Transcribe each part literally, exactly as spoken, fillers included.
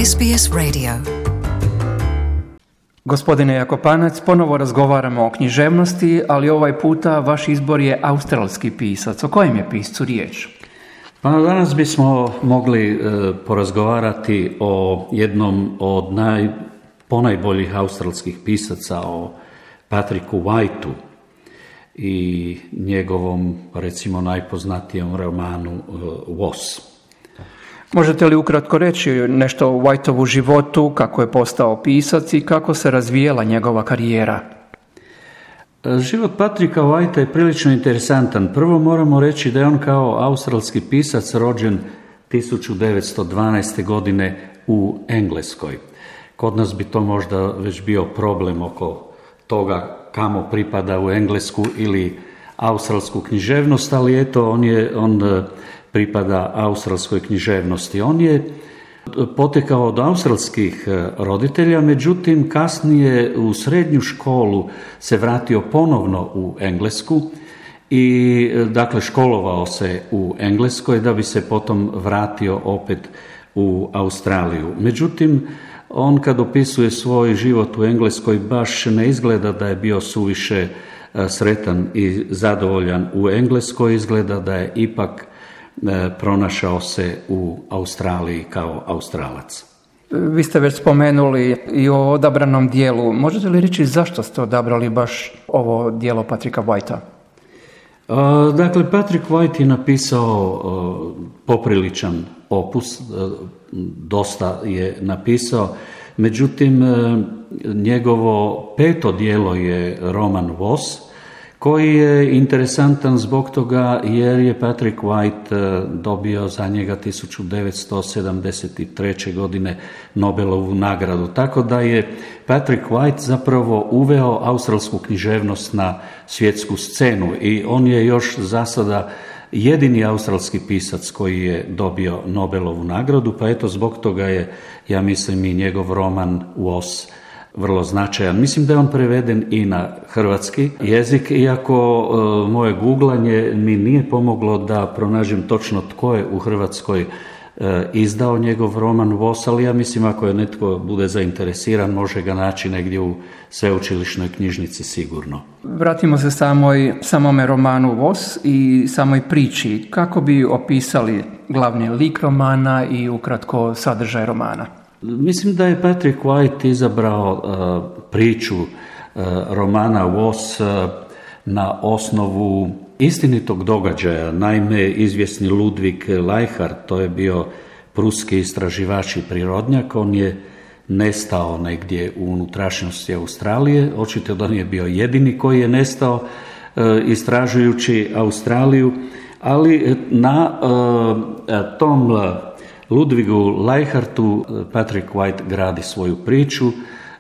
S B S Radio. Gospodine Jakopanac, ponovo razgovaramo o književnosti, ali ovaj puta vaš izbor je australski pisac. O kojem je piscu riječ? Pa danas bismo mogli e, porazgovarati o jednom od naj, ponajboljih australskih pisaca, o Patricku Whiteu i njegovom, recimo, najpoznatijem romanu e, Was. Možete li ukratko reći nešto o Whiteovu životu, kako je postao pisac i kako se razvijela njegova karijera? Život Patricka Whitea je prilično interesantan. Prvo moramo reći da je on kao australski pisac rođen tisuću devetsto dvanaeste. godine u Engleskoj. Kod nas bi to možda već bio problem oko toga kamo pripada u englesku ili australsku književnost, ali eto, on je on pripada australskoj književnosti. On je potekao od australskih roditelja, međutim kasnije u srednju školu se vratio ponovno u Englesku i dakle školovao se u Engleskoj da bi se potom vratio opet u Australiju. Međutim, on kad opisuje svoj život u Engleskoj baš ne izgleda da je bio suviše sretan i zadovoljan u Engleskoj, izgleda da je ipak pronašao se u Australiji kao Australac. Vi ste već spomenuli i o odabranom dijelu. Možete li reći zašto ste odabrali baš ovo dijelo Patricka Whitea? Dakle, Patrick White je napisao popriličan opus, dosta je napisao, međutim njegovo peto dijelo je roman Was, koji je interesantan zbog toga jer je Patrick White dobio za njega tisuću devetsto sedamdeset treće. godine Nobelovu nagradu. Tako da je Patrick White zapravo uveo australsku književnost na svjetsku scenu i on je još za sada jedini australski pisac koji je dobio Nobelovu nagradu, pa eto zbog toga je, ja mislim, i njegov roman Was vrlo značajan. Mislim da je on preveden i na hrvatski jezik, iako e, moje googlanje mi nije pomoglo da pronađem točno tko je u Hrvatskoj e, izdao njegov roman Was, ali ja mislim ako je netko bude zainteresiran može ga naći negdje u sveučilišnoj knjižnici sigurno. Vratimo se samoj, samome romanu Was i samoj priči. Kako bi opisali glavni lik romana i ukratko sadržaj romana? Mislim da je Patrick White izabrao uh, priču uh, romana Was uh, na osnovu istinitog događaja. Naime, izvjesni Ludwig Leichhardt, to je bio pruski istraživač i prirodnjak, on je nestao negdje u unutrašnjosti Australije. Očito da nije bio jedini koji je nestao uh, istražujući Australiju, ali na uh, tom uh, Ludwigu Leichhardtu Patrick White gradi svoju priču.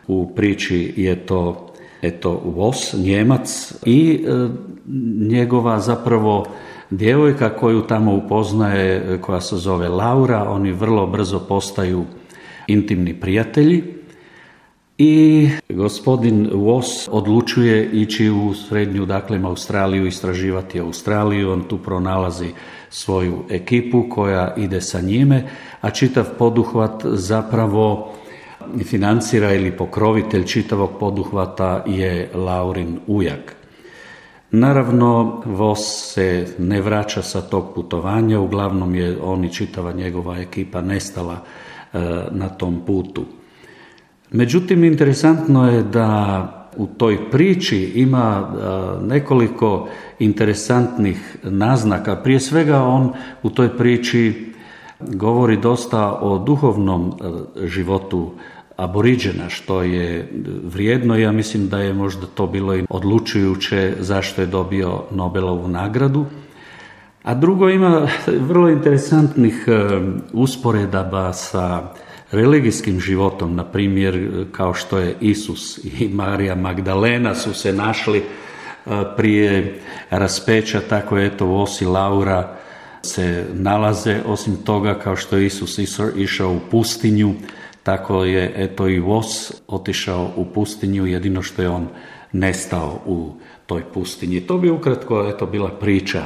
U priči je to eto Was, Njemac i e, njegova zapravo djevojka koju tamo upoznaje, koja se zove Laura. Oni vrlo brzo postaju intimni prijatelji i gospodin Was odlučuje ići u srednju, dakle Australiju, istraživati Australiju. On tu pronalazi svoju ekipu koja ide sa njime, a čitav poduhvat zapravo financira ili pokrovitelj čitavog poduhvata je Laurin ujak. Naravno, Was se ne vraća sa tog putovanja, uglavnom je on i čitava njegova ekipa nestala e, na tom putu. Međutim, interesantno je da u toj priči ima nekoliko interesantnih naznaka. Prije svega on u toj priči govori dosta o duhovnom životu Aboriđena, što je vrijedno. Ja mislim da je možda to bilo i odlučujuće zašto je dobio Nobelovu nagradu. A drugo, ima vrlo interesantnih usporedaba sa religijskim životom, na primjer kao što je Isus i Marija Magdalena su se našli prije raspeća, tako je eto Was i Laura se nalaze. Osim toga, kao što je Isus išao u pustinju, tako je eto i Was otišao u pustinju, jedino što je on nestao u toj pustinji. To bi ukratko eto bila priča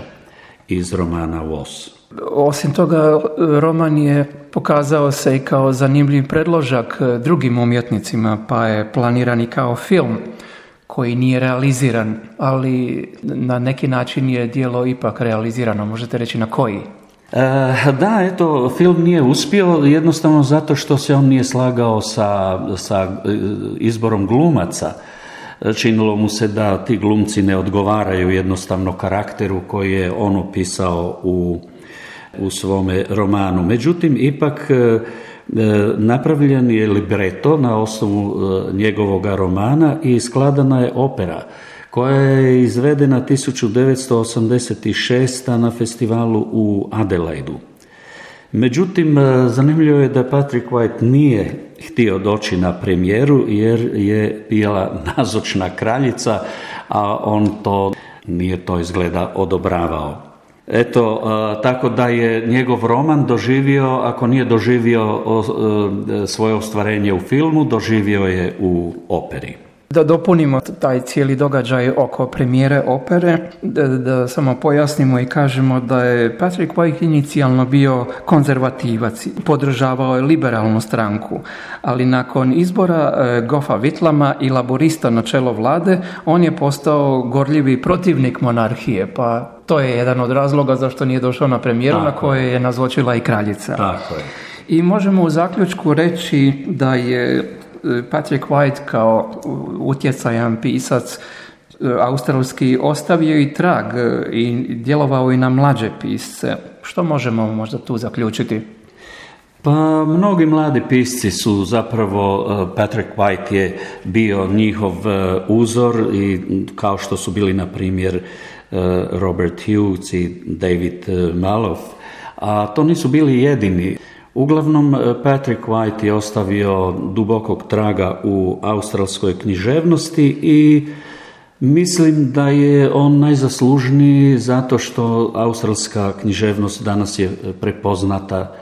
iz romana Was. Osim toga, roman je pokazao se i kao zanimljiv predložak drugim umjetnicima, pa je planiran i kao film koji nije realiziran, ali na neki način je djelo ipak realizirano. Možete reći na koji? E, da, eto, film nije uspio jednostavno zato što se on nije slagao sa, sa izborom glumaca. Činilo mu se da ti glumci ne odgovaraju jednostavno karakteru koji je on opisao u, u svome romanu. Međutim, ipak napravljen je libreto na osnovu njegovog romana i skladana je opera koja je izvedena tisuću devetsto osamdeset šeste. na festivalu u Adelaidu. Međutim, zanimljivo je da Patrick White nije htio doći na premijeru jer je bila nazočna kraljica, a on to nije to izgleda odobravao. Eto, tako da je njegov roman doživio, ako nije doživio svoje ostvarenje u filmu, doživio je u operi. Da dopunimo taj cijeli događaj oko premijere opere, da, da samo pojasnimo i kažemo da je Patrick White inicijalno bio konzervativac, podržavao je liberalnu stranku, ali nakon izbora e, Goffa Whitlama i laborista na čelo vlade, on je postao gorljivi protivnik monarhije, pa to je jedan od razloga zašto nije došao na premijeru na kojoj je nazočila i kraljica. Tako je. I možemo u zaključku reći da je Patrick White kao utjecajan pisac australski ostavio i trag i djelovao i na mlađe pisce. Što možemo možda tu zaključiti? Pa mnogi mladi pisci su zapravo, Patrick White je bio njihov uzor i kao što su bili na primjer Robert Hughes i David Malouf, a to nisu bili jedini. Uglavnom, Patrick White je ostavio dubokog traga u australskoj književnosti i mislim da je on najzaslužniji zato što australska književnost danas je prepoznata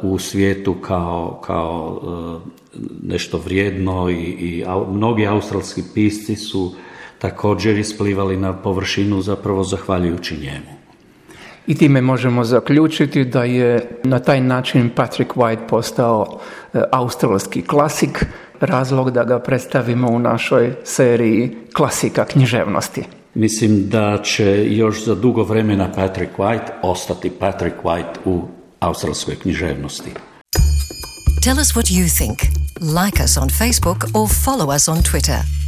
u svijetu kao, kao nešto vrijedno i, i mnogi australski pisci su također isplivali na površinu zapravo zahvaljujući njemu. I time možemo zaključiti da je na taj način Patrick White postao australski klasik, razlog da ga predstavimo u našoj seriji klasika književnosti. Mislim da će još za dugo vremena Patrick White ostati Patrick White u australskoj književnosti. Tell us what you think. Like us on Facebook or follow us on Twitter.